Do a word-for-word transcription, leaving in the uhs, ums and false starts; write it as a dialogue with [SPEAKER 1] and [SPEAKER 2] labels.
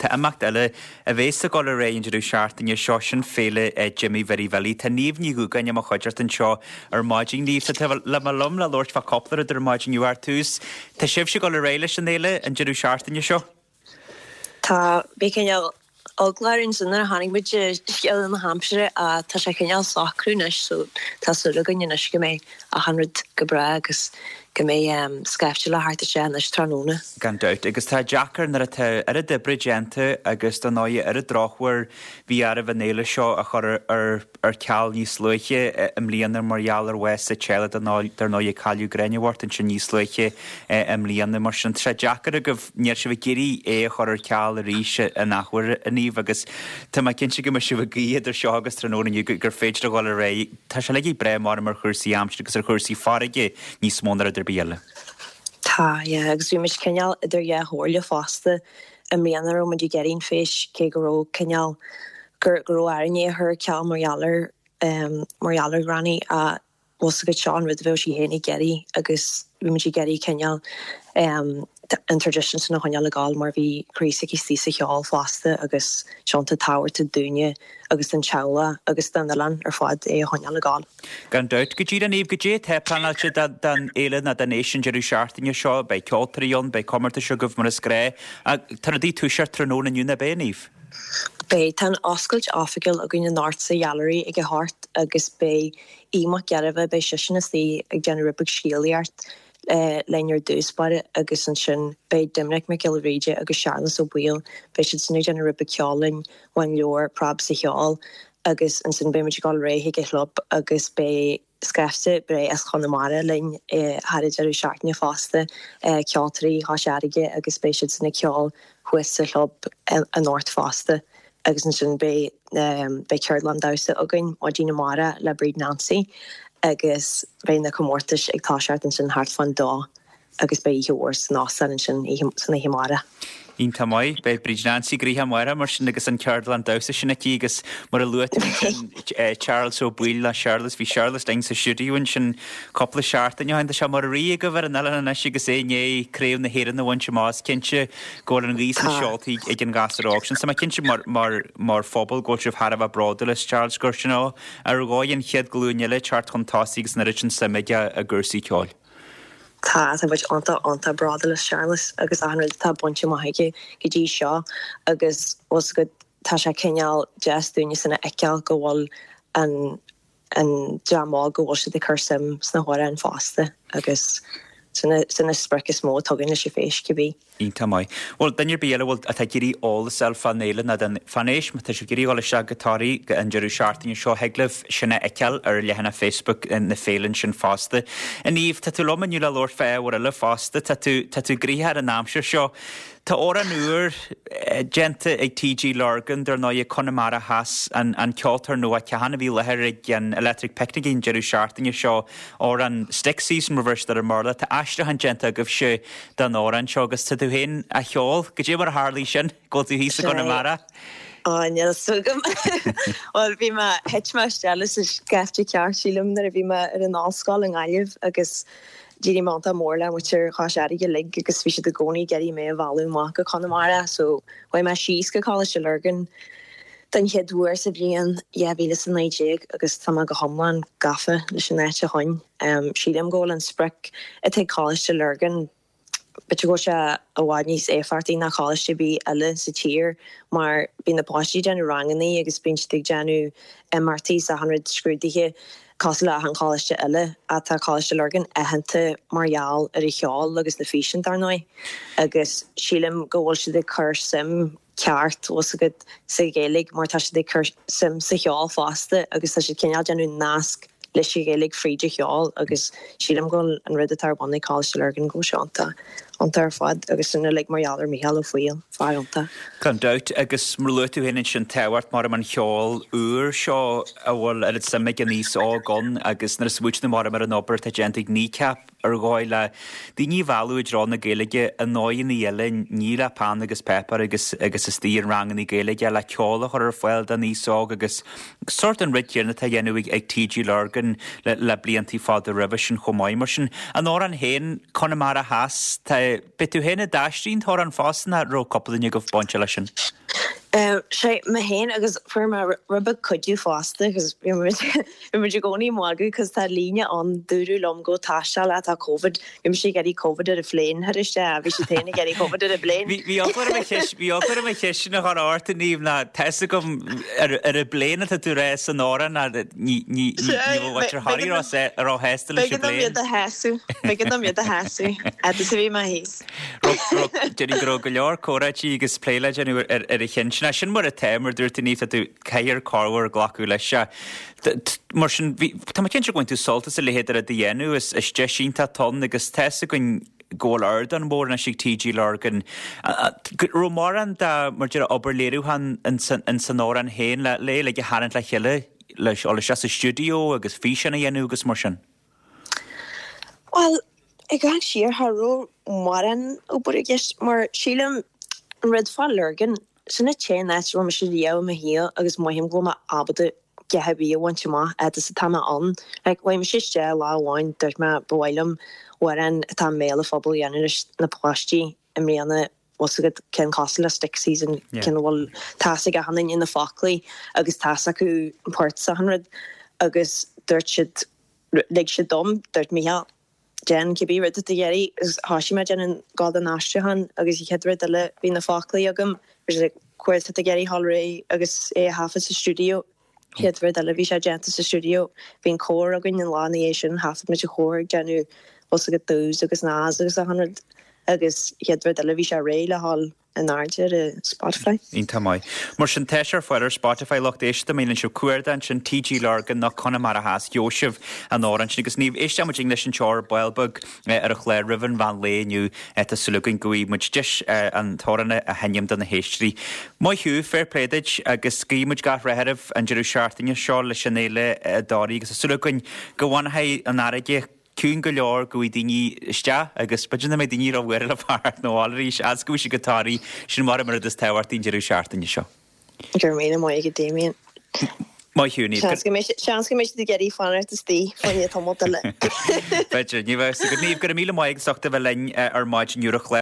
[SPEAKER 1] Tá imeacht eile a bheas ag dul ar aghaidh an deireadh seachtaine seo sin féile Jimmy Mhary Bhilly. Tá Niamh Ní Dhúgáin i mo chuideachta anseo ar maidin. Niamh, tá tú le mo liom le labhairt fá cúpla rud ar maidin inniu ar tús. Tá sibhse ag dul ar aghaidh leis an fhéile an deireadh seachtaine seo?
[SPEAKER 2] Tá bhí cineál eagla orainn nuair a tháinig muid scéal na haimsire a tá sé cineál socrú anois so tá súil againn anois go mbeidh achan rud go breá agus go mbeidh um, scaifte le theacht isteach anois tráthnóna.
[SPEAKER 1] Gan dabht agus tá deacair nuair atá oiread oibre déanta agus don áighe ar a drochuair bhí oraibh an fhéile seo a chur ar ar ceal níos luaithe i mbliana mar gheall ar bhás sa teaghlach dar ndóigh cailleadh Gráinne bhocht ansin níos luaithe i mbliana mar sin tá deacair agaibh níl sibh ag iarraidh é a chur ar ceal arís an athuair a Niamh agus Tá mé cinnte go mbeidh sibh ag guí idir seo agus tráthnóna inniu gur féidir a dhul ar aghaidh. Tá sé le breith mar ar chúrsaí aimsire agus ar chúrsaí farraige níos mó ná rud ar bith eile.
[SPEAKER 2] Tá yeah, agus bhí muid cineál idir dhá chomhairle fosta i mbliana raibh muid ag iarraidh an fhéis cé go raibh cineál gur go raibh orainn é a chur ar ceal mar gheall ar um, mar gheall ar Granny a was go seo an rud a bheadh sí féin ag iarraidh agus bhí muid ag iarraidh cineál um, an tradition sin a choinneáil ag gabháil mar bhí croí s'aici sa cheol fosta agus seanta tábhachtach dúinne agus don teaghlach agus don oileán ar fad é a choinneáil ag gabháil.
[SPEAKER 1] Gan dabht go dtí an Niamh go dté tá pleanáilte don fhéile ná don fhéis an deireadh seachtaine seo, beidh ceoltóirí ann, beidh comórtais agaibh mar is gnách, tá rudaí toiseacht tráthnóna inniu ab ea Niamh.
[SPEAKER 2] Beidh tá an oscailt oifigiúil againn anocht sa Gheallery ag a hocht agus beidh Aodh Mac Gairbheith beidh seisean istigh ag déanamh rud beag scéalaíocht eh, linn ar dtús báire agus ansin beidh Doimnic Mac Giolla Bhríde agus Searlas Ó Baoill beidh siad san ag déanamh rud beag ceoil linn ón leabhar Preab sa Cheol agus ansin beidh muid ag dul ar aghaidh ag an chlub agus beidh scaifte breá as Chonamara linn eh, thar an deireadh seachtaine fosta eh, ceoltóirí Chois Fharraige agus beidh siad san ag ceol thuas sa chlub anocht fosta. agus ansin beidh um, beidh ceardlann damhsa againn maidin amárach le Bríd Nancy agus beidh na comórtais ag toiseacht ansin thart fán dó agus beidh oíche mhór san óstán ansin san oíche amárach.
[SPEAKER 1] Iontach maith beidh Bríd Nancy gnoitheach amárach mar sin agus an ceardlann damhsa sin aici agus mar a luaigh eh, Charles Ó Baoill le Charles bhí Charles linn sa stiúideo ansin cúpla seachtain ó shin sé mar rí go bhar an eile anois agus é né Craobh na hÉireann a bhaint amach cinnte go bhfuil an ghaoth sna seoltaí ag an ghasúr óg sin. Sa cinnte mar, mar, mar phobal go sibh thar a bheith bródúil as Charles gur sin ó ar dhóigh an chéad ghlúin eile teacht chun tosaigh agus an oiread sin suime aige i gcúrsaí ceoil.
[SPEAKER 2] Tá tá muid iontach iontach bródúil as Charles agus achan rud atá bainte amach aige go dtí seo agus was go tá sé cineál deas dúinne sin a fheiceáil go bhfuil an an dream óg go bhfuil siad ag cur suim sna hamhráin fosta agus sin an sprioc is mó atá againn leis an bhféis cibé.
[SPEAKER 1] Iontach maith. Bhuel duine ar bith eile bhfuil atá ag iarraidh eolas a fháil fán fhéile ná den fán fhéis má tá sibh ag iarraidh dul isteach go Toraigh go an deireadh seachtaine seo thig libh sin a fheiceáil ar leathanach Facebook na féile sin fosta. A Niamh tá tú liom inniu le labhairt fá ábhar eile fosta tá tú tá tú gnoitheach ar an aimsir seo. Tá amhrán úr déanta ag TG Lurgan dar ndóigh Conamara Theas an, an ceoltóir nua cean a bhí i láthair ag an Electric Picnic an deireadh seachtaine seo amhrán Stick Season reverse ar an mBéarla Tá aistriúchán déanta agaibhse den amhrán seo agus tá tú féin á cheol go dé mar a tharla sin go tú thíos i gConamara.
[SPEAKER 2] Á níl a fhios agam Well bhí mé thit mé isteach sa scaifte ceart sílim nuair a bhí mé ar an ollscoil i nGaillimh agus d'éirigh mé iontach mór le muintir Chois Fharraige uilig agus bhí siad i gcónaí ag iarraidh mé a mhealladh amach go Conamara so chuaigh mé síos go Coláiste Lurgan den chéad uair sa bhliain dhá mhíle is a naoi déag agus tá mé go hiomlán gafa leis an áit ó shin. Um, sílim go bhfuil an sprioc atá ag Coláiste Lurgan B'fhéidir go sé i bhfad níos éifeachtaí ná coláiste ar bith eile sa tír mar bíonn na páistí ag déanamh ranganna agus bíonn siad ag déanamh imeachtaí is achan rud scrúduithe cosúil le achan choláiste eile atá Coláiste Lurgan aitheanta mar gheall ar a cheol agus na físeáin dar ndóigh agus sílim go bhfuil siad ag cur suim ceart was agat sa Ghaeilge mar tá siad ag cur suim sa cheol fosta agus tá siad cineál déanamh nasc leis an Ghaeilge fríd an cheol agus sílim go bhfuil an rud atá ar bun ag Coláiste Lurgan go sé iontach iontach ar fad agus sin uilig mar gheall ar Mícheál Ó Foighil fear iontach.
[SPEAKER 1] Gan dabht agus mar luaigh tú féin ansin tábhacht mar an cheol úr seo a bhfuil ar suim ag an aos óg ann agus nuair a smaoiníonn mar ar an obair atá déanta ag Kneecap ar dhóigh le daoine a mhealladh i dtreo na Gaeilge i ndóigheanna eile ní le peann agus páipéar agus agus istigh in ranganna Gaeilge le ceol a chur ar fáil don aos óg agus sórt an rud céanna atá á dhéanamh ag, ag TG Lurgan le, le bliantaí fada roimhe sin chomh maith mar sin. An amhrán féin Conamara Theas tá B'é tú féin a d'aistrigh an t-amhrán fosta nó raibh cúpla duine agaibh bainte leis sin?
[SPEAKER 2] Sé mé féin agus fuair mé rud beag cuidiú fosta agus bhí muid bhí muid i gcónaí ag magadh cos tá líne ann dúradh liom go taisteal atá Covid bhí mise ag iarraidh Covid ar an phlane thar isteach a bhí siad féin ag iarraidh Covid ar an bplane.
[SPEAKER 1] Bhí bhí eagla orm a cheist bhí eagla orm an cheist sin a chur ort a Niamh ná tá fhios agam ar ar an bplane atá tú rá san amhrán ná ní ní ní ní bhfuil muintir Thoraí róshásta leis an
[SPEAKER 2] B'éigean dom
[SPEAKER 1] bplane.
[SPEAKER 2] iad a shásamh b'éigean dom iad a shásamh fhad is a bhí mé thíos.
[SPEAKER 1] Déarfainn go raibh go leor comhráití agus plé le déanamh ar ar a cheann sin. Sin mar atá mar dúirt tú Niamh tá tú caithfear corruair glacadh leis seo. Mar sin bhí tá mé cinnte go bhfaigheann tú sult as a leithéid de rud a dhéanamh is is deis iontach atá ann agus tá fhios againn go bhfuil ardán mór anois ag TG Lurgan. Go raibh mórán de mar deir obair léiriúcháin in san amhrán féin le le le a tharraingt le chéile leis dul isteach sa stiúideo agus físeán a dhéanamh agus mar sin.
[SPEAKER 2] Well, ag gabháil siar cha raibh mórán obair i gceist mar sílim an rud fá Lurgan sin an t-aon áit a raibh mise riamh i mo shaol agus mothaím go bhfuil mé ábalta a dhath ar bith a bhaint amach fhad is atá mé ann. Like chuaigh mise isteach lá amháin dúirt mé ba mhaith liom amhrán atá i mbéal an phobail a dhéanamh leis na páistí i mbliana bhfuil fhios agat ceann cosúil le Stick Season
[SPEAKER 1] Yeah.
[SPEAKER 2] ceann a bhfuil tá fhios ag achan duine na foclaí agus tá fhios acu an port is achan rud agus dúirt siad lig siad dom dúirt Mícheál déan cibé rud atá tú ag iarraidh agus thosaigh mé déanamh gabháil don aistriúchán agus an chéad rud eile bhí na foclaí agam bhí sé cá huair atá tú ag iarraidh dul ar aghaidh agus é a thaifead sa stiúideo chéad rud eile bhí sé déanta sa stiúideo bhí an cór againn an lá ina dhiaidh sin thaifead muid an chór ag déanamh bhfuil fhios agat doos agus naas agus achan rud agus chéad rud eile bhí sé réidh le dhul in airde ar Spotify.
[SPEAKER 1] Iontach maith. Mar sin tá sé ar fáil ar Spotify lucht éisteachta má dhéanann sibh cuardach ansin TG Lurgan nó Conamara Theas gheobhaidh sibh an amhrán sin agus Niamh éistfidh muid leis an teor bail beag ar an chlár roimh an mheán lae inniu tá súil againn go bhfaighidh muid deis an t-amhrán a sheinm do na héisteoirí. Maith thú, fair play duit agus guí muid gach rath oraibh an deireadh seachtaine seo leis an fhéile i dToraí agus tá súil againn go bhfanfaidh an fharraige ciúin go leor go bhfaighidh daoine isteach agus b'fhéidir nach mbeidh daoine róbhuartha le fanacht na bhfáil arís as go bhfuil siad go Toraí sin mar mar is tábhachtaí an deireadh seachtaine seo.
[SPEAKER 2] Go raibh míle maith agat Damien.
[SPEAKER 1] Maith thú Niamh.
[SPEAKER 2] Seans go mbeidh seans go mbeidh siad ag iarraidh fanacht istigh fá choinne tamall eile.
[SPEAKER 1] B'fhéidir ní bheidh go Niamh go raibh míle maith agus ucht a bheith linn ar maidin inniu ar an chlár.